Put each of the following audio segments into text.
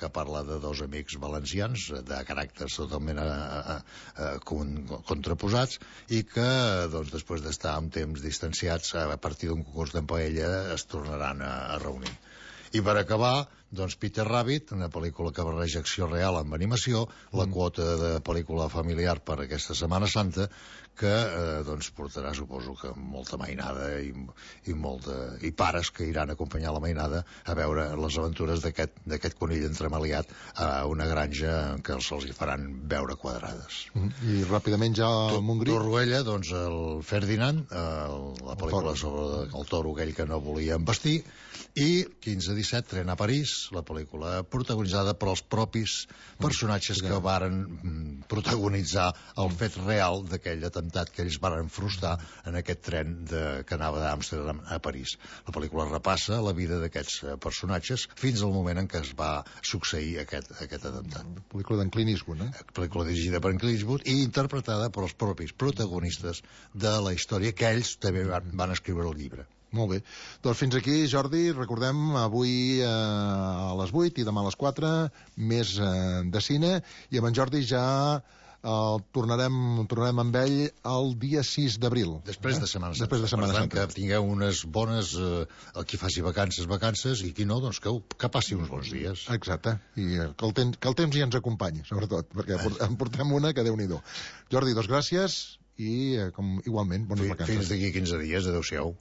que parla de dos amics valencians de caràcters totalment contraposats i que, doncs, després d'estar un temps distanciats, a partir d'un concurs de paella es tornaran a reunir. I per acabar, doncs, Peter Rabbit, una pel·lícula que barreja acció real amb animació, la quota de pel·lícula familiar per aquesta Setmana Santa, que doncs portarà, suposo que molta mainada i pares que iran a acompanyar la mainada a veure les aventures d'aquest conill entremaliat a una granja en què se'ls hi faran veure quadrades. I ràpidament ja al Montgrí. Torroella, doncs, el Ferdinand, la pel·lícula sobre el toro aquell que no volia embestir, i 15-17, Tren a París, la pel·lícula protagonitzada per els propis personatges que varen protagonitzar el fet real d'aquell atemptat que ells varen frustrar en aquest tren que anava d'Amsterdam a París. La pel·lícula repassa la vida d'aquests personatges fins al moment en què es va succeir aquest atemptat. Pel·lícula d'en Clint Eastwood, pel·lícula dirigida per en Clint Eastwood i interpretada per els propis protagonistes de la història, que ells també van escriure el llibre. Molt bé. Doncs fins aquí, Jordi, recordem avui a les 8 i demà a les 4 més de cine, i amb en Jordi ja tornarem amb ell el dia 6 d'abril. Després de Setmana Santa. Després de Setmana Santa. Per tant, que tingueu unes bones... qui faci vacances, i qui no, doncs que passi uns bons dies. Exacte. I que el temps ja ens acompanyi, sobretot, perquè en portem una que Déu-n'hi-do. Jordi, doncs gràcies i igualment, bones vacances. Fins d'aquí 15 dies, adeu-siau.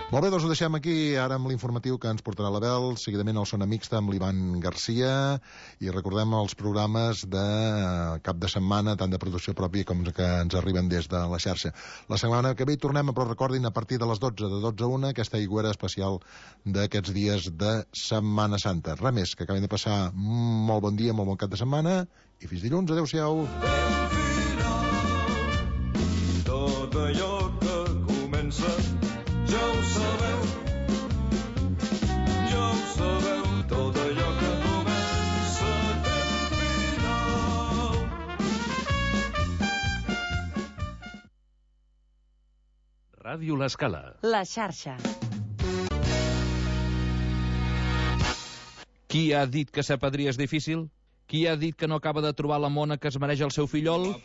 Molt bé, doncs ho deixem aquí ara amb l'informatiu que ens portarà l'Abel, seguidament el Sona Mixta amb l'Ivan Garcia, i recordem els programes de cap de setmana, tant de producció pròpia com que ens arriben des de la xarxa. La setmana que ve hi tornem, però recordin, a partir de les 12, de 12 a 1, aquesta aigüera especial d'aquests dies de Setmana Santa. Res més, que acabem de passar molt bon dia, molt bon cap de setmana, i fins dilluns, adeu-siau. Tot allò que comença ja ho sabeu, tot allò que comença té final. Ràdio L'Escala. La xarxa. Qui ha dit que ser padrí és difícil? Qui ha dit que no acaba de trobar la mona que es mereix el seu fillol?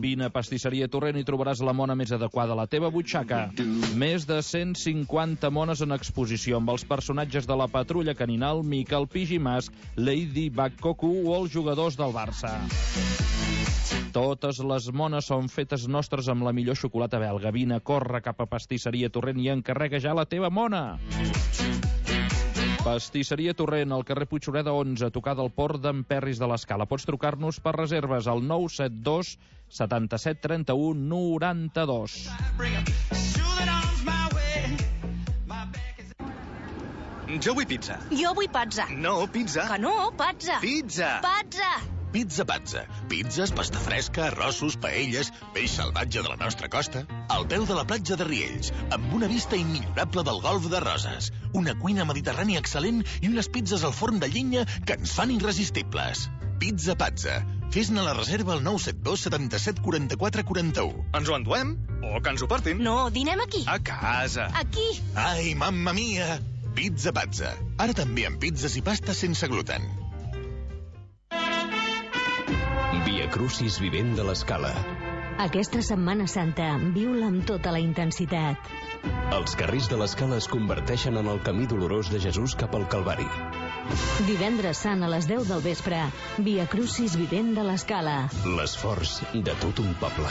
Vine a Pastisseria Torrent i trobaràs la mona més adequada a la teva butxaca. Més de 150 mones en exposició amb els personatges de la Patrulla Caninal, Mica el Pigimas, Lady Bakkoku o els jugadors del Barça. Totes les mones són fetes nostres amb la millor xocolata belga. Vine, corre cap a Pastisseria Torrent i encarrega ja la teva mona. Pastisseria Torrent, al carrer Puigsureda 11, a tocar del port d'en Perris de l'Escala. Pots trucar-nos per reserves al 972 77 31 92. Jo vull pizza. Jo vull pizza. No, pizza. Que no, pizza. Pizza. Pizza. Pizza Pazza. Pizzas, pasta fresca, arrossos, paelles, peix salvatge de la nostra costa, al peu de la platja de Riells, amb una vista immillorable del golf de Roses, una cuina mediterrània excel·lent i unes pizzas al forn de llenya que ens fan irresistibles. Pizza Pazza. Fes-ne la reserva al 972 77 44 41. Ens ho enduem? O que ens ho portin? No, dinem aquí. A casa. Aquí. Ai, mamma mia! Pizza Pazza. Ara també amb pizzas i pastes sense gluten. Via Crucis Vivent de l'Escala. Aquesta Setmana Santa viu-la amb tota la intensitat. Els carrers de l'Escala es converteixen en el camí dolorós de Jesús cap al Calvari. Divendres Sant a les 10 del vespre, Via Crucis Vivent de l'Escala. L'esforç de tot un poble.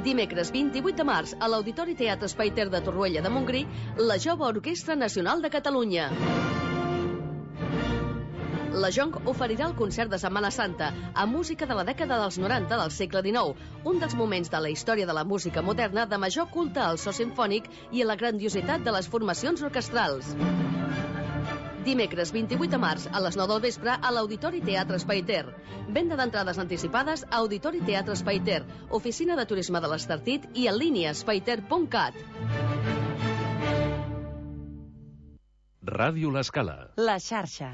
Dimecres 28 de març, a l'Auditori Teatre Espai Ter de Torroella de Montgrí, la Jove Orquestra Nacional de Catalunya. La Jonc oferirà el concert de Setmana Santa amb música de la dècada dels 90 del segle XIX, un dels moments de la història de la música moderna de major culte al so simfònic i a la grandiositat de les formacions orquestrals. Dimecres 28 de març a les 9 del vespre a l'Auditori Teatre Espai Ter. Venda d'entrades anticipades a Auditori Teatre Espai Ter, Oficina de Turisme de l'Estartit i en línia espaiter.cat. Ràdio L'Escala. La xarxa.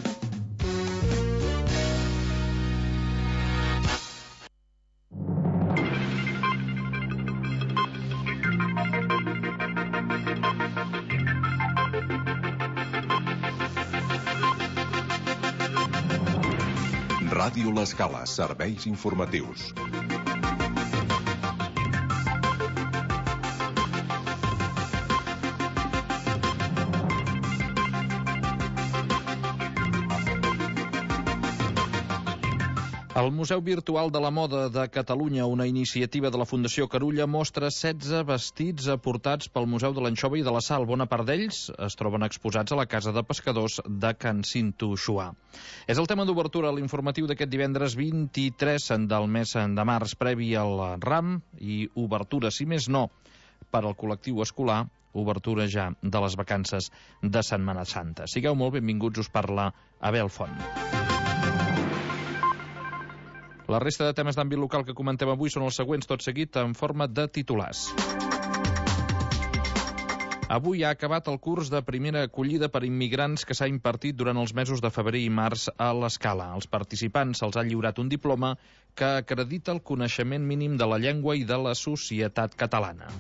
Ràdio L'Escala, serveis informatius. El Museu Virtual de la Moda de Catalunya, una iniciativa de la Fundació Carulla, mostra 16 vestits aportats pel Museu de l'Anxova i de la Sal. Bona part d'ells es troben exposats a la Casa de Pescadors de Can Cinto Xuà. És el tema d'obertura a l'informatiu d'aquest divendres 23 del mes de març, previ al RAM, i obertura, si més no, per al col·lectiu escolar, obertura ja de les vacances de Setmana Santa. Sigueu molt benvinguts, us parla Abel Font. La resta de temes d'àmbit local que comentem avui són els següents, tot seguit en forma de titulars. Avui ha acabat el curs de primera acollida per immigrants que s'ha impartit durant els mesos de febrer i març a l'Escala. Als participants se'ls ha lliurat un diploma que acredita el coneixement mínim de la llengua i de la societat catalana.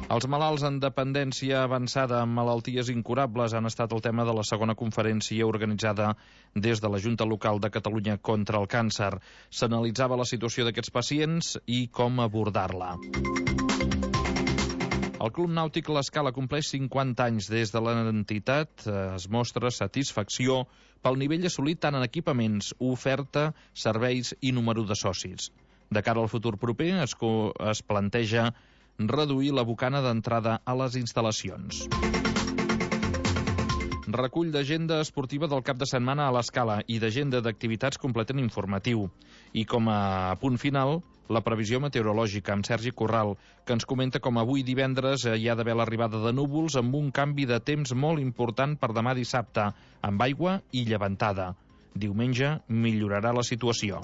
Els malalts en dependència avançada amb malalties incurables han estat el tema de la segona conferència organitzada des de la Junta Local de Catalunya contra el càncer. S'analitzava la situació d'aquests pacients i com abordar-la. El Club Nàutic L'Escala compleix 50 anys des de l'entitat. Es mostra satisfacció pel nivell assolit tant en equipaments, oferta, serveis i número de socis. De cara al futur proper es planteja reduir la bocana d'entrada a les instal·lacions. Recull d'agenda esportiva del cap de setmana a l'Escala i d'agenda d'activitats completen informatiu. I com a punt final, la previsió meteorològica amb Sergi Corral, que ens comenta com avui divendres hi ha d'haver l'arribada de núvols amb un canvi de temps molt important per demà dissabte, amb aigua i llevantada. Diumenge millorarà la situació.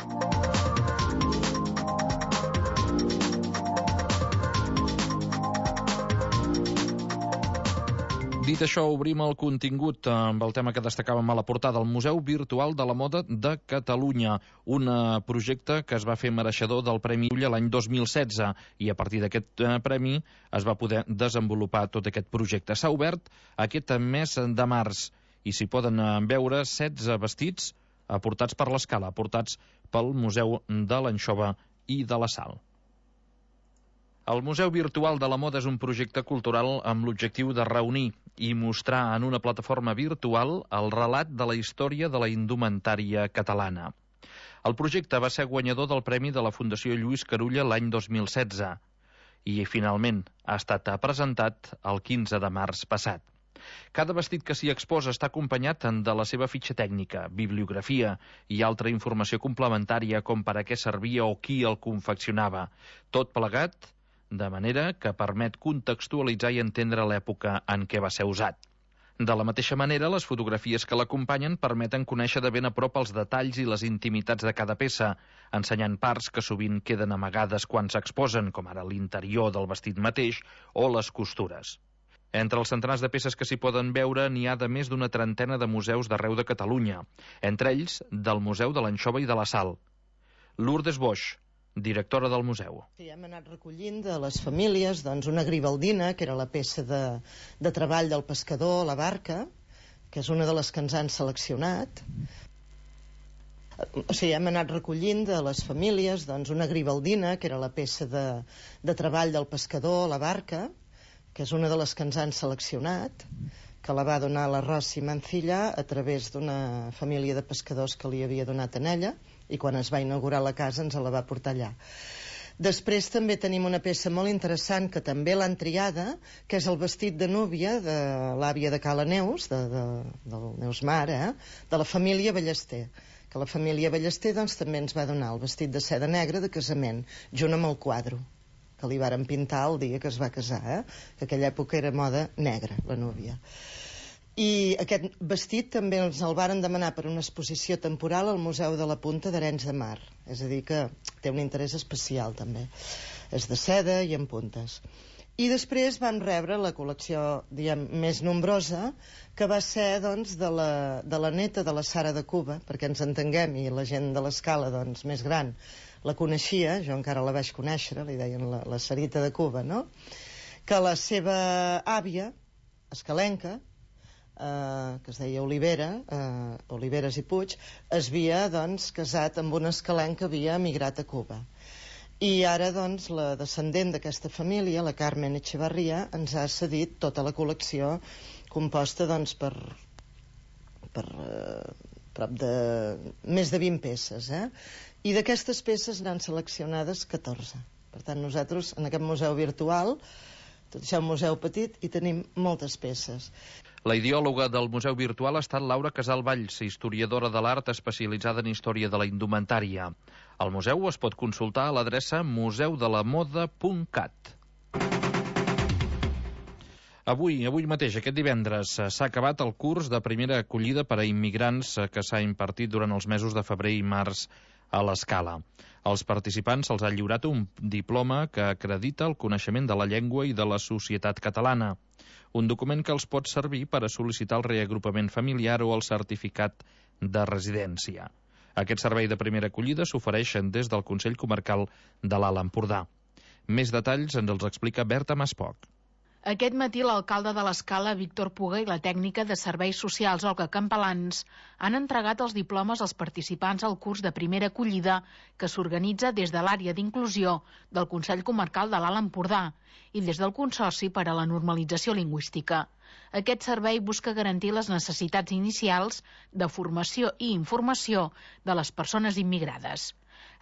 Dit això, obrim el contingut amb el tema que destacàvem a la portada, el Museu Virtual de la Moda de Catalunya, un projecte que es va fer mereixedor del Premi Ulla l'any 2016 i a partir d'aquest premi es va poder desenvolupar tot aquest projecte. S'ha obert aquest mes de març i s'hi poden veure 16 vestits aportats per l'Escala, aportats pel Museu de l'Anxova i de la Sal. El Museu Virtual de la Moda és un projecte cultural amb l'objectiu de reunir i mostrar en una plataforma virtual el relat de la història de la indumentària catalana. El projecte va ser guanyador del Premi de la Fundació Lluís Carulla l'any 2016 i, finalment, ha estat presentat el 15 de març passat. Cada vestit que s'hi exposa està acompanyat de la seva fitxa tècnica, bibliografia i altra informació complementària com per a què servia o qui el confeccionava. Tot plegat de manera que permet contextualitzar i entendre l'època en què va ser usat. De la mateixa manera, les fotografies que l'acompanyen permeten conèixer de ben a prop els detalls i les intimitats de cada peça, ensenyant parts que sovint queden amagades quan s'exposen, com ara l'interior del vestit mateix o les costures. Entre els centenars de peces que s'hi poden veure n'hi ha de més d'una trentena de museus d'arreu de Catalunya, entre ells del Museu de l'Anxova i de la Sal. Lourdes Boix, directora del museu. Sí, hem anat recollint de les famílies una gribaldina, que era la peça de treball del pescador a la barca, que és una de les que ens han seleccionat. O sigui, hem anat recollint de les famílies una gribaldina, que era la peça de treball del pescador a la barca, que és una de les que ens han seleccionat, que la va donar la Rossi Mancilla a través d'una família de pescadors que li havia donat a ella, i quan es va inaugurar la casa ens la va portar allà. Després també tenim una peça molt interessant que també l'han triada, que és el vestit de núvia de l'àvia de Cala Neus, del Neus Mare, de la família Ballester, que la família Ballester també ens va donar el vestit de seda negra de casament, junt amb el quadre que li varen pintar el dia que es va casar, que aquella època era moda negra, la núvia. I aquest vestit també ens el varen demanar per una exposició temporal al Museu de la Punta d'Arenys de Mar. És a dir, que té un interès especial, també. És de seda i en puntes. I després vam rebre la col·lecció, diguem, més nombrosa, que va ser, de la neta de la Sara de Cuba, perquè ens entenguem, i la gent de l'Escala, més gran, la coneixia, jo encara la vaig conèixer, li deien la Sarita de Cuba, no? Que la seva àvia, escalenca, que es deia Olivera, Oliveres i Puig, es havia doncs, casat amb un escalenc que havia emigrat a Cuba. I ara doncs, la descendent d'aquesta família, la Carmen Echevarria, ens ha cedit tota la col·lecció composta doncs, per prop de més de 20 peces. I d'aquestes peces n'han seleccionades 14. Per tant, nosaltres, en aquest museu virtual, tot això és un museu petit, i tenim moltes peces. La ideòloga del Museu Virtual ha estat Laura Casalvalls, historiadora de l'art especialitzada en història de la indumentària. El museu es pot consultar a l'adreça museudelamoda.cat. Avui mateix, aquest divendres, s'ha acabat el curs de primera acollida per a immigrants que s'ha impartit durant els mesos de febrer i març a l'Escala. Als participants se'ls ha lliurat un diploma que acredita el coneixement de la llengua i de la societat catalana. Un document que els pot servir per a sol·licitar el reagrupament familiar o el certificat de residència. Aquest servei de primera acollida s'ofereixen des del Consell Comarcal de l'Alt Empordà. Més detalls ens els explica Berta Maspoc. Aquest matí l'alcalde de l'Escala, Víctor Puga, i la tècnica de Serveis Socials, Olga Campalans, han entregat els diplomes als participants al curs de primera acollida que s'organitza des de l'àrea d'inclusió del Consell Comarcal de l'Alt Empordà i des del Consorci per a la Normalització Lingüística. Aquest servei busca garantir les necessitats inicials de formació i informació de les persones immigrades.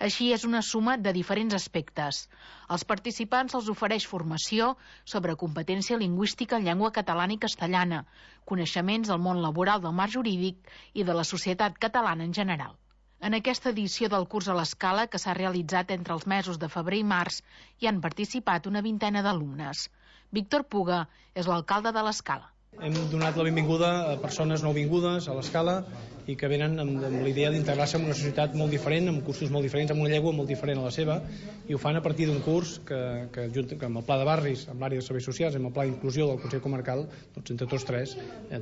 Així és una suma de diferents aspectes. Als participants se'ls ofereix formació sobre competència lingüística en llengua catalana i castellana, coneixements del món laboral del marc jurídic i de la societat catalana en general. En aquesta edició del curs a l'Escala, que s'ha realitzat entre els mesos de febrer i març, hi han participat una vintena d'alumnes. Víctor Puga és l'alcalde de l'Escala. Hem donat la benvinguda a persones nouvingudes a l'Escala i que venen amb la idea d'integrar-se en una societat molt diferent, amb cursos molt diferents, amb una llengua molt diferent a la seva, i ho fan a partir d'un curs que amb el pla de barris, amb l'àrea de serveis socials, amb el pla d'inclusió del Consell Comarcal, doncs entre tots tres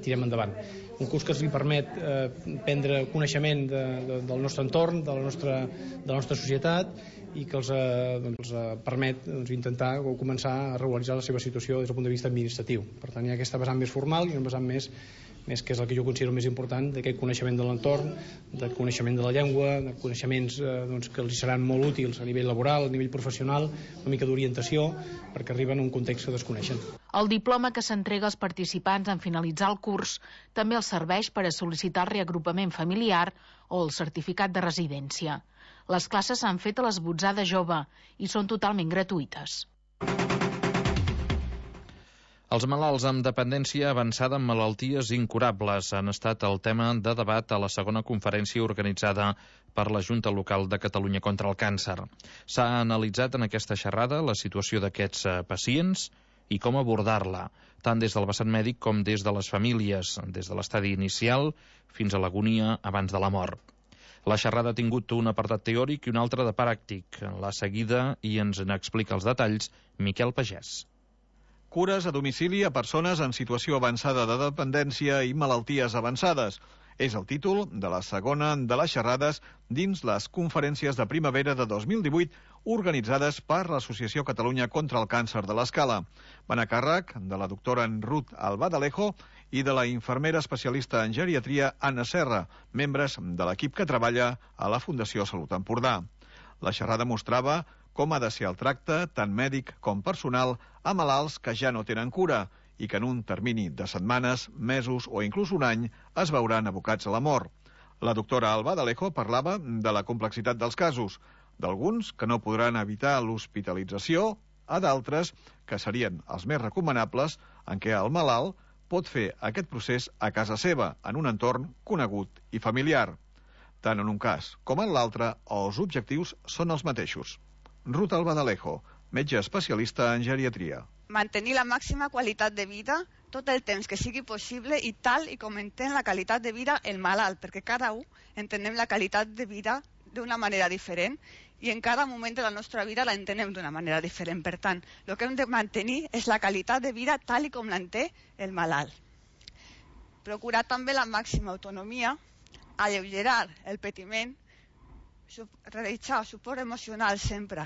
tirem endavant. Un curs que els permet prendre coneixement del nostre entorn, de la nostra societat, i que els permet intentar o començar a regularitzar la seva situació des del punt de vista administratiu. Per tant, hi ha aquesta vessant més formal i una vessant més que és el que jo considero més important, d'aquest coneixement de l'entorn, de coneixement de la llengua, de coneixements que els seran molt útils a nivell laboral, a nivell professional, una mica d'orientació, perquè arriben a un context que desconeixen. El diploma que s'entrega als participants en finalitzar el curs també els serveix per a sol·licitar el reagrupament familiar o el certificat de residència. Les classes s'han fet a l'Esbotzada Jove i són totalment gratuïtes. Els malalts amb dependència avançada en malalties incurables han estat el tema de debat a la segona conferència organitzada per la Junta Local de Catalunya contra el Càncer. S'ha analitzat en aquesta xerrada la situació d'aquests pacients i com abordar-la, tant des del vessant mèdic com des de les famílies, des de l'estadi inicial fins a l'agonia abans de la mort. La xerrada ha tingut un apartat teòric i un altre de pràctic. La seguida i ens n'explica els detalls Miquel Pagès. Cures a domicili a persones en situació avançada de dependència i malalties avançades. És el títol de la segona de les xerrades dins les conferències de primavera de 2018 organitzades per l'Associació Catalunya contra el Càncer de l'Escala. Van a càrrec de la doctora Ruth Albadalejo i de la infermera especialista en geriatria Anna Serra, membres de l'equip que treballa a la Fundació Salut Empordà. La xerrada mostrava com ha de ser el tracte, tant mèdic com personal, a malalts que ja no tenen cura i que en un termini de setmanes, mesos o inclús un any es veuran abocats a la mort. La doctora Albadalejo parlava de la complexitat dels casos, d'alguns que no podran evitar l'hospitalització, a d'altres que serien els més recomanables en què el malalt pot fer aquest procés a casa seva, en un entorn conegut i familiar. Tant en un cas com en l'altre, els objectius són els mateixos. Ruth Albadalejo, metge especialista en geriatria. Mantenir la màxima qualitat de vida tot el temps que sigui possible i tal i com entén la qualitat de vida el malalt, perquè cada un entenem la qualitat de vida d'una manera diferent i en cada moment de la nostra vida la entenem d'una manera diferent. Per tant, el que hem de mantenir és la qualitat de vida tal i com l'entén el malalt. Procurar també la màxima autonomia, alleugerar el patiment, realitzar suport emocional sempre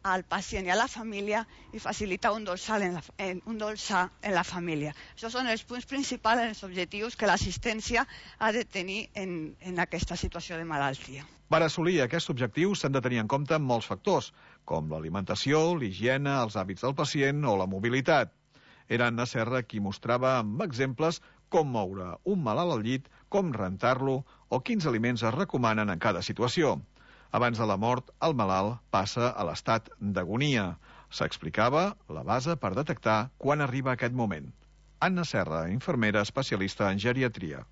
al pacient i a la família i facilitar un dorsal en la família. Això són els punts principals, els objectius que l'assistència ha de tenir en aquesta situació de malaltia. Per assolir aquests objectius s'han de tenir en compte molts factors, com l'alimentació, l'higiene, els hàbits del pacient o la mobilitat. Era Anna Serra qui mostrava amb exemples com moure un malalt al llit, com rentar-lo o quins aliments es recomanen en cada situació. Abans de la mort, el malalt passa a l'estat d'agonia. S'explicava la base per detectar quan arriba aquest moment. Anna Serra, infermera especialista en geriatria.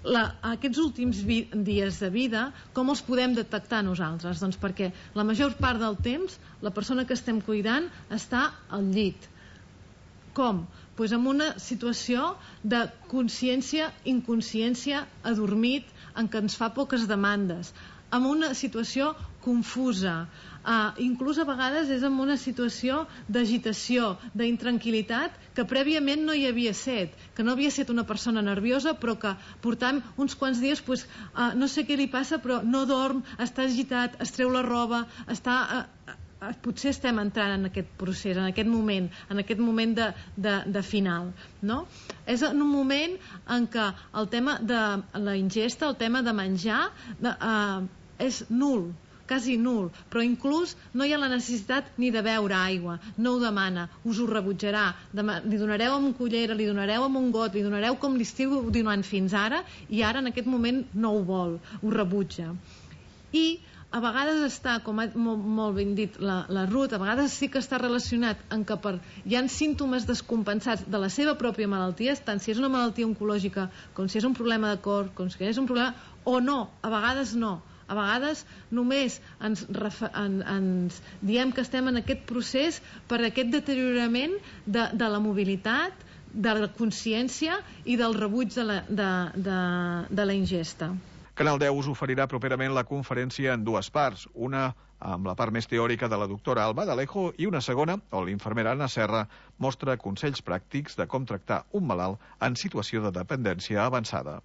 Aquests últims dies de vida, com els podem detectar nosaltres? Doncs perquè la major part del temps la persona que estem cuidant està al llit. Com? Doncs en una situació de consciència, inconsciència, adormit, en què ens fa poques demandes, en una situació confusa, inclús a vegades és en una situació d'agitació, d'intranquil·litat, que prèviament no hi havia set, que no havia set una persona nerviosa, però que portam uns quants dies, no sé què li passa, però no dorm, està agitat, es treu la roba, potser estem entrant en aquest procés, en aquest moment de final, no? És en un moment en què el tema de la ingesta, el tema de menjar, és nul, quasi nul, però inclús no hi ha la necessitat ni de beure aigua, no ho demana, us ho rebutjarà, li donareu amb cullera, li donareu amb un got, li donareu com li estiu donant fins ara, i ara en aquest moment no ho vol, ho rebutja. I a vegades està, com ha molt ben dit la Ruth, a vegades sí que està relacionat en què hi ha símptomes descompensats de la seva pròpia malaltia, tant si és una malaltia oncològica com si és un problema de cor, com si és un problema, o no, a vegades no. A vegades només ens diem que estem en aquest procés per aquest deteriorament de la mobilitat, de la consciència i del rebuig de la ingesta. Canal 10 us oferirà properament la conferència en dues parts, una amb la part més teòrica de la doctora Alba d'Alejo i una segona, on l'infermera Anna Serra mostra consells pràctics de com tractar un malalt en situació de dependència avançada.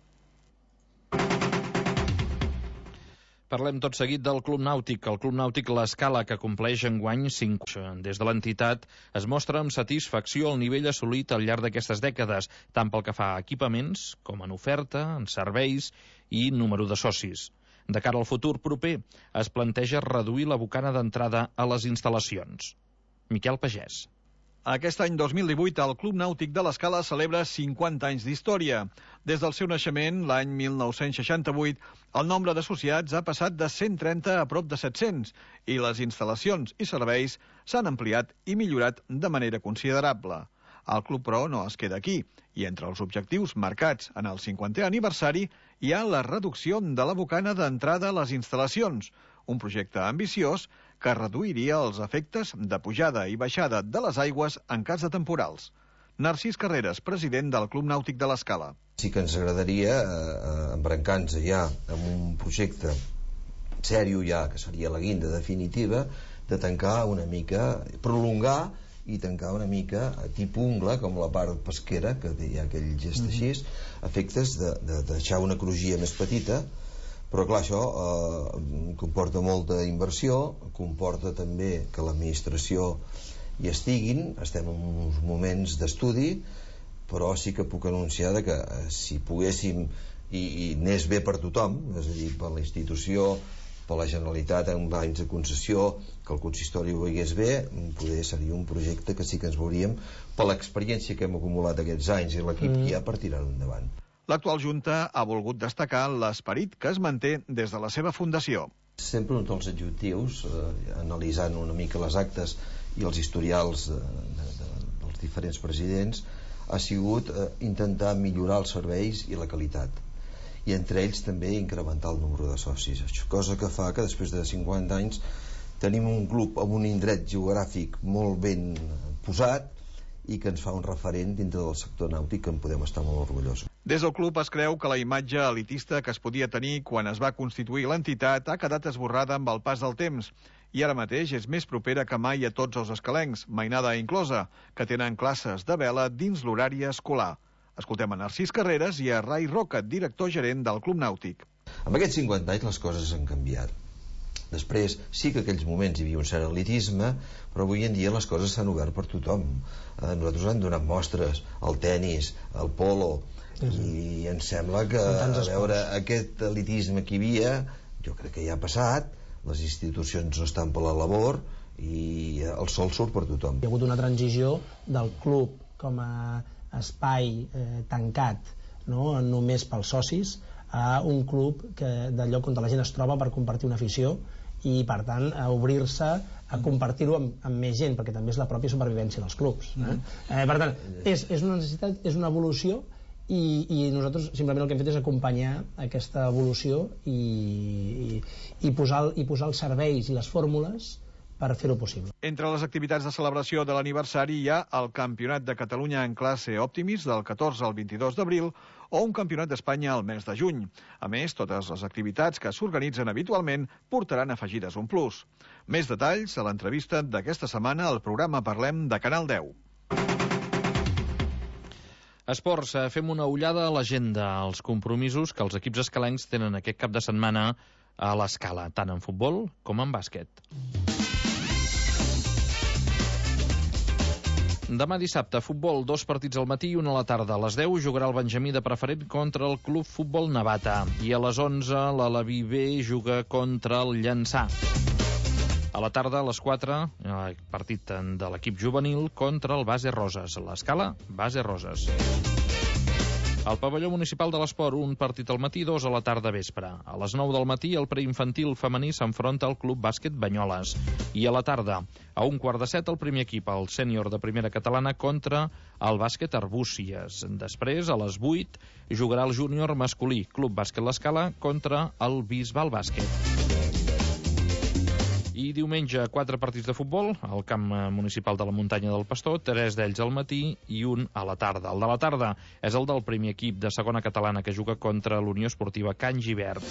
Parlem tot seguit del Club Nàutic. El Club Nàutic L'Escala, que compleix enguany 5 anys. Des de l'entitat es mostra amb satisfacció el nivell assolit al llarg d'aquestes dècades, tant pel que fa a equipaments, com en oferta, en serveis i número de socis. De cara al futur proper, es planteja reduir la bocana d'entrada a les instal·lacions. Miquel Pagès. Aquest any 2018, el Club Nàutic de l'Escala celebra 50 anys d'història. Des del seu naixement, l'any 1968, el nombre d'associats ha passat de 130 a prop de 700 i les instal·lacions i serveis s'han ampliat i millorat de manera considerable. El club, però, no es queda aquí, i entre els objectius marcats en el 50è aniversari hi ha la reducció de la bocana d'entrada a les instal·lacions, un projecte ambiciós que reduiria els efectes de pujada i baixada de les aigües en cas de temporals. Narcís Carreras, president del Club Nàutic de l'Escala. Sí que ens agradaria embrancar-nos ja amb un projecte sèrio ja, que seria la guinda definitiva, de tancar una mica, prolongar i tancar una mica a tipus ungla, com la part pesquera, que hi ha aquell gest així, efectes de deixar una crugia més petita. Però clar, això comporta molta inversió, comporta també que l'administració hi estiguin, estem en uns moments d'estudi, però sí que puc anunciar que si poguéssim i anés bé per tothom, és a dir, per la institució, per la Generalitat en anys de concessió, que el consistori ho veiés bé, poder seria un projecte que sí que ens veuríem per l'experiència que hem acumulat aquests anys i l'equip que hi ha per tirar-ho endavant. L'actual Junta ha volgut destacar l'esperit que es manté des de la seva fundació. Sempre un dels objectius, analitzant una mica les actes i els historials dels diferents presidents, ha sigut intentar millorar els serveis i la qualitat. I entre ells també incrementar el número de socis. Cosa que fa que després de 50 anys tenim un club amb un indret geogràfic molt ben posat i que ens fa un referent dintre del sector nàutic que en podem estar molt orgullosos. Des del club es creu que la imatge elitista que es podia tenir quan es va constituir l'entitat ha quedat esborrada amb el pas del temps i ara mateix és més propera que mai a tots els escalencs, mainada inclosa, que tenen classes de vela dins l'horari escolar. Escoltem a Narcís Carreras i a Rai Roca, director gerent del Club Nàutic. En aquests 50 anys les coses han canviat. Després, sí que aquells moments hi havia un cert elitisme, però avui en dia les coses s'han obert per tothom. Nosaltres hem donat mostres al tennis, al polo, i em sembla que, a veure, aquest elitisme que hi havia, jo crec que ja ha passat, les institucions no estan per la labor i el sol surt per tothom. Hi ha hagut una transició del club com a espai tancat, no? Només pels socis, a un club de lloc on la gent es troba per compartir una afició i, per tant, a obrir-se a compartir-ho amb més gent, perquè també és la pròpia supervivència dels clubs. Per tant, és una necessitat, és una evolució, i nosaltres simplement el que hem fet és acompanyar aquesta evolució i posar els serveis i les fórmules per fer-ho possible. Entre les activitats de celebració de l'aniversari hi ha el Campionat de Catalunya en classe Optimis del 14 al 22 d'abril o un Campionat d'Espanya al mes de juny. A més, totes les activitats que s'organitzen habitualment portaran afegides un plus. Més detalls a l'entrevista d'aquesta setmana al programa Parlem de Canal 10. Esports, fem una ullada a l'agenda, als compromisos que els equips escalencs tenen aquest cap de setmana a l'Escala, tant en futbol com en bàsquet. Demà dissabte, futbol, 2 partits al matí i 1 a la tarda. A les 10 jugarà el Benjamí de Preferent contra el Club Futbol Navata. I a les 11 l'Aleví B juga contra el Llançà. A la tarda, a les 4, partit de l'equip juvenil contra el Base Roses. L'Escala, Base Roses. Al pavelló municipal de l'esport, un partit al matí, 2 a la tarda vespre. A les 9 del matí, el preinfantil femení s'enfronta al Club Bàsquet Banyoles. I a la tarda, a 6:15, el primer equip, el sènior de primera catalana, contra el Bàsquet Arbúcies. Després, a les 8, jugarà el júnior masculí, Club Bàsquet l'Escala, contra el Bisbal Bàsquet. I diumenge, 4 partits de futbol al camp municipal de la Muntanya del Pastor, 3 d'ells al matí i 1 a la tarda. El de la tarda és el del primer equip de segona catalana que juga contra l'Unió Esportiva Can Gibert.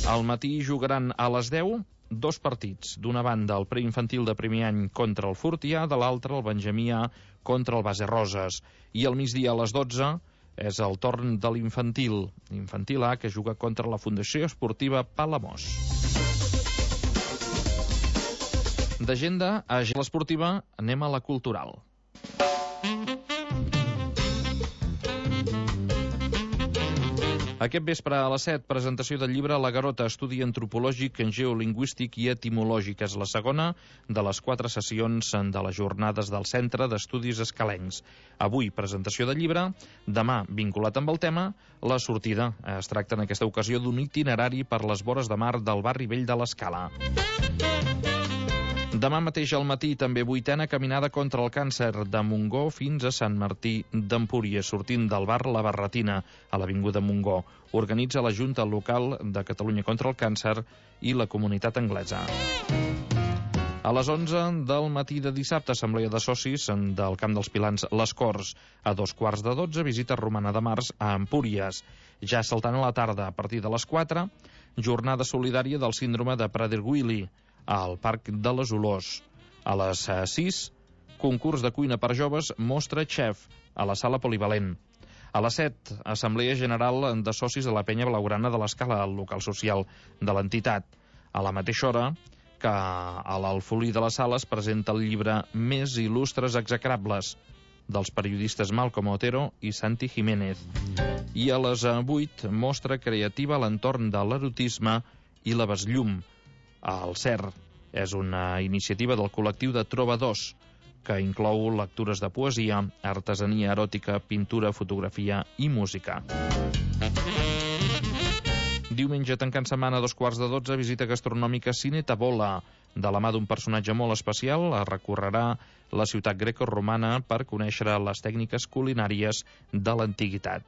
Al matí jugaran a les 10 2 partits. D'una banda, el preinfantil de primer any contra el Fortià, de l'altra, el Benjamí A contra el Base Roses. I al migdia, a les 12, és el torn de l'infantil A, que juga contra la Fundació Esportiva Palamós. D'agenda a l'esportiva anem a la cultural. Aquest vespre a les 7, presentació del llibre La Garota, estudi antropològic, geolingüístic i etimològic. És la segona de les 4 sessions de les jornades del Centre d'Estudis Escalencs. Avui, presentació del llibre, demà, vinculat amb el tema, la sortida. Es tracta en aquesta ocasió d'un itinerari per les vores de mar del barri vell de l'Escala. Demà mateix al matí, també 8a caminada contra el càncer de Montgó fins a Sant Martí d'Empúries, sortint del bar La Barretina, a l'Avinguda Montgó. Organitza la Junta Local de Catalunya contra el Càncer i la Comunitat Anglesa. A les 11 del matí de dissabte, assemblea de socis del Camp dels Pilans Les Corts. A 2:15, visita romana de març a Empúries. Ja saltant a la tarda, a partir de les 4, jornada solidària del síndrome de Prader-Willi al Parc de les Olors. A les 6, concurs de cuina per joves, mostra xef, a la sala polivalent. A les 7, assemblea general de socis de la penya blaugrana de l'Escala, al local social de l'entitat. A la mateixa hora que a l'Alfolí de la Sala es presenta el llibre Més il·lustres execrables, dels periodistes Malcom Otero i Santi Jiménez. I a les 8, mostra creativa a l'entorn de l'erotisme i la besllum. El CER és una iniciativa del col·lectiu de trobadors que inclou lectures de poesia, artesania eròtica, pintura, fotografia i música. Diumenge, tancant setmana, a 11:15, visita gastronòmica Cine Tabola. De la mà d'un personatge molt especial, recorrerà la ciutat greco-romana per conèixer les tècniques culinàries de l'antiguitat.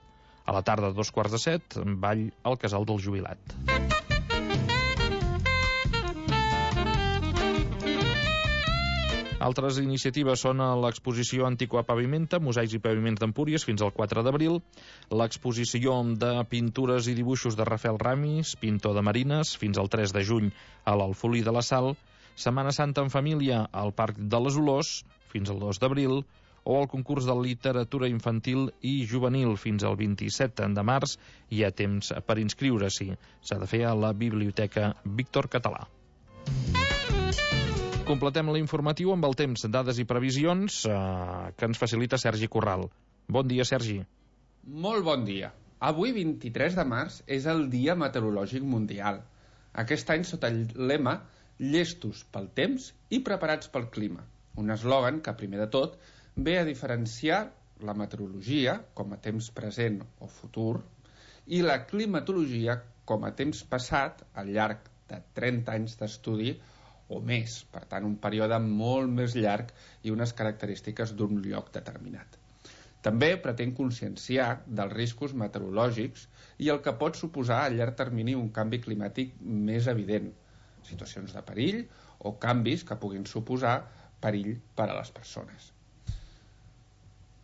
A la tarda, a 6:45, ball al Casal del Jubilat. Altres iniciatives són l'exposició Antiqua Pavimenta, Mosaics i Paviments d'Empúries, fins al 4 d'abril, l'exposició de pintures i dibuixos de Rafael Ramis, pintor de marines, fins al 3 de juny a l'Alfolí de la Sal, Setmana Santa en família al Parc de les Olors, fins al 2 d'abril, o el concurs de literatura infantil i juvenil. Fins al 27 de març hi ha temps per inscriure-s'hi. S'ha de fer a la Biblioteca Víctor Català. Completem l'informatiu amb el temps, dades i previsions que ens facilita Sergi Corral. Bon dia, Sergi. Molt bon dia. Avui, 23 de març, és el Dia Meteorològic Mundial. Aquest any sota el lema Llestos pel temps i preparats pel clima. Un eslògan que, primer de tot, ve a diferenciar la meteorologia com a temps present o futur i la climatologia com a temps passat al llarg de 30 anys d'estudi o més, per tant un període molt més llarg i unes característiques d'un lloc determinat. També pretén conscienciar dels riscos meteorològics i el que pot suposar a llarg termini un canvi climàtic més evident, situacions de perill o canvis que puguin suposar perill per a les persones.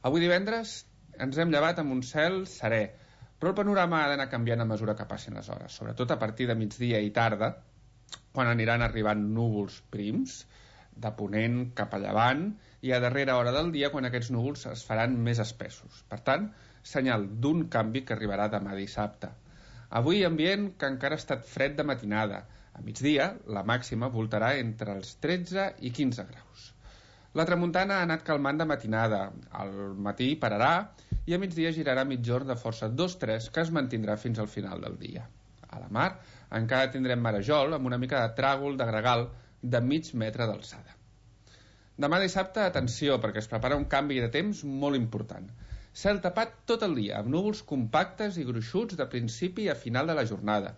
Avui divendres ens hem llevat amb un cel serè, però el panorama ha d'anar canviant a mesura que passin les hores, sobretot a partir de migdia i tarda, quan aniran arribant núvols prims, de ponent cap a llevant, i a darrera hora del dia quan aquests núvols es faran més espessos. Per tant, senyal d'un canvi que arribarà demà dissabte. Avui ambient que encara ha estat fred de matinada. A migdia, la màxima voltarà entre els 13 i 15 graus. La tramuntana ha anat calmant de matinada. Al matí pararà i a migdia girarà mitjorn de força 2-3 que es mantindrà fins al final del dia. A la mar encara tindrem marejol amb una mica de tràgol de gregal de mig metre d'alçada. Demà dissabte, atenció, perquè es prepara un canvi de temps molt important. Cel tapat tot el dia, amb núvols compactes i gruixuts de principi a final de la jornada.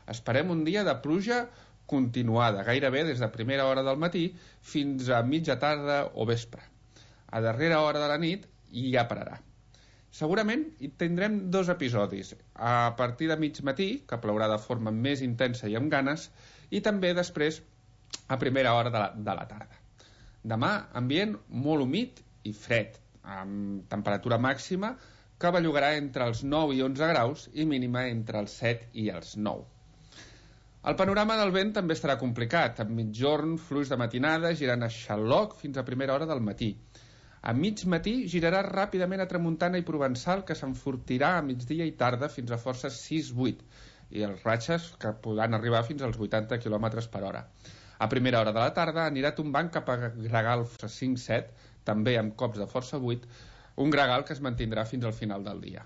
Esperem un dia de pluja continuada, gairebé des de primera hora del matí fins a mitja tarda o vespre. A darrera hora de la nit ja pararà. Segurament hi tindrem 2 episodis, a partir de mig matí, que plourà de forma més intensa i amb ganes, i també després a primera hora de la tarda. Demà, ambient molt humit i fred, amb temperatura màxima que bellugarà entre els 9 i 11 graus i mínima entre els 7 i els 9. El panorama del vent també estarà complicat, amb mitjorn, fluix de matinada, girant a xaloc fins a primera hora del matí. A mig matí girarà ràpidament a tramuntana i provençal que s'enfortirà a migdia i tarda fins a força 6-8 i els ratxes que podran arribar fins als 80 km per hora. A primera hora de la tarda anirà tombant cap a gregal 5-7, també amb cops de força 8, un gregal que es mantindrà fins al final del dia.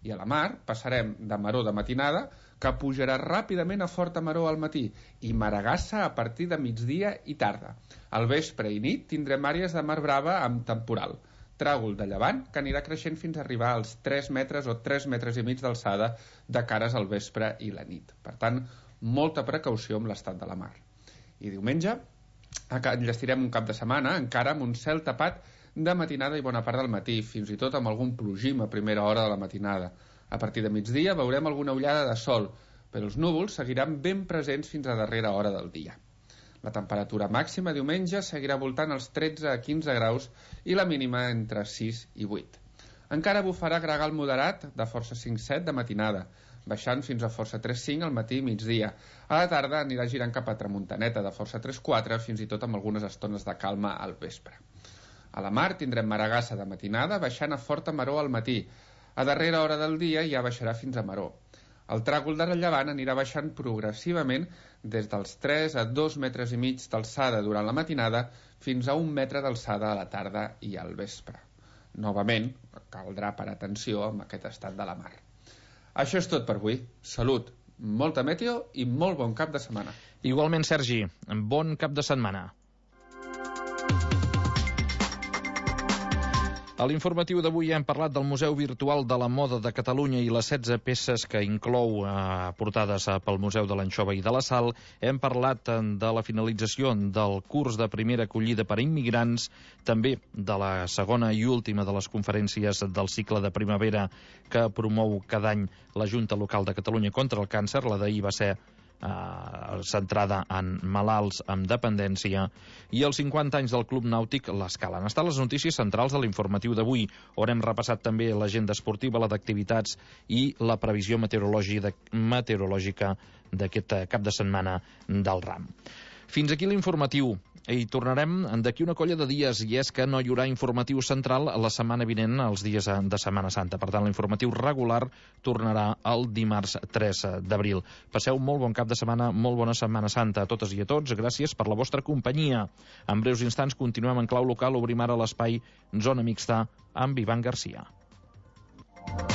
I a la mar passarem de maror de matinada que pujarà ràpidament a forta maror al matí i maregassa a partir de migdia i tarda. Al vespre i nit tindrem àrees de mar brava amb temporal, tràgol de llevant que anirà creixent fins a arribar als 3 metres o 3 metres i mig d'alçada de cares al vespre i la nit. Per tant, molta precaució amb l'estat de la mar. I diumenge enllestirem un cap de setmana encara amb un cel tapat de matinada i bona part del matí, fins i tot amb algun plogim a primera hora de la matinada. A partir de migdia veurem alguna ullada de sol, però els núvols seguiran ben presents fins a darrera hora del dia. La temperatura màxima diumenge seguirà voltant els 13 a 15 graus i la mínima entre 6 i 8. Encara bufarà gregal moderat de força 5-7 de matinada, baixant fins a força 3-5 al matí i migdia. A la tarda anirà girant cap a tramuntaneta de força 3-4, fins i tot amb algunes estones de calma al vespre. A la mar tindrem maregassa de matinada, baixant a forta maror al matí. A darrera hora del dia ja baixarà fins a maror. El tràgol de llevant anirà baixant progressivament des dels 3 a 2 metres i mig d'alçada durant la matinada fins a 1 metre d'alçada a la tarda i al vespre. Novament, caldrà parar atenció amb aquest estat de la mar. Això és tot per avui. Salut, molta meteo i molt bon cap de setmana. Igualment, Sergi, bon cap de setmana. A l'informatiu d'avui hem parlat del Museu Virtual de la Moda de Catalunya i les 16 peces que inclou portades pel Museu de l'Anxova i de la Sal. Hem parlat de la finalització del curs de primera acollida per a immigrants, també de la segona i última de les conferències del cicle de primavera que promou cada any la Junta Local de Catalunya contra el càncer. La d'ahir va ser centrada en malalts amb dependència, i els 50 anys del Club Nàutic l'Escala. Han estat les notícies centrals de l'informatiu d'avui, on hem repassat també l'agenda esportiva, la d'activitats i la previsió meteorològica d'aquest cap de setmana del ram. Fins aquí l'informatiu. I tornarem d'aquí una colla de dies, i és que no hi haurà informatiu central la setmana vinent, els dies de Setmana Santa. Per tant, l'informatiu regular tornarà el dimarts 3 d'abril. Passeu molt bon cap de setmana, molt bona Setmana Santa a totes i a tots. Gràcies per la vostra companyia. En breus instants continuem en clau local. Obrim ara l'espai Zona Mixta amb Ivan Garcia.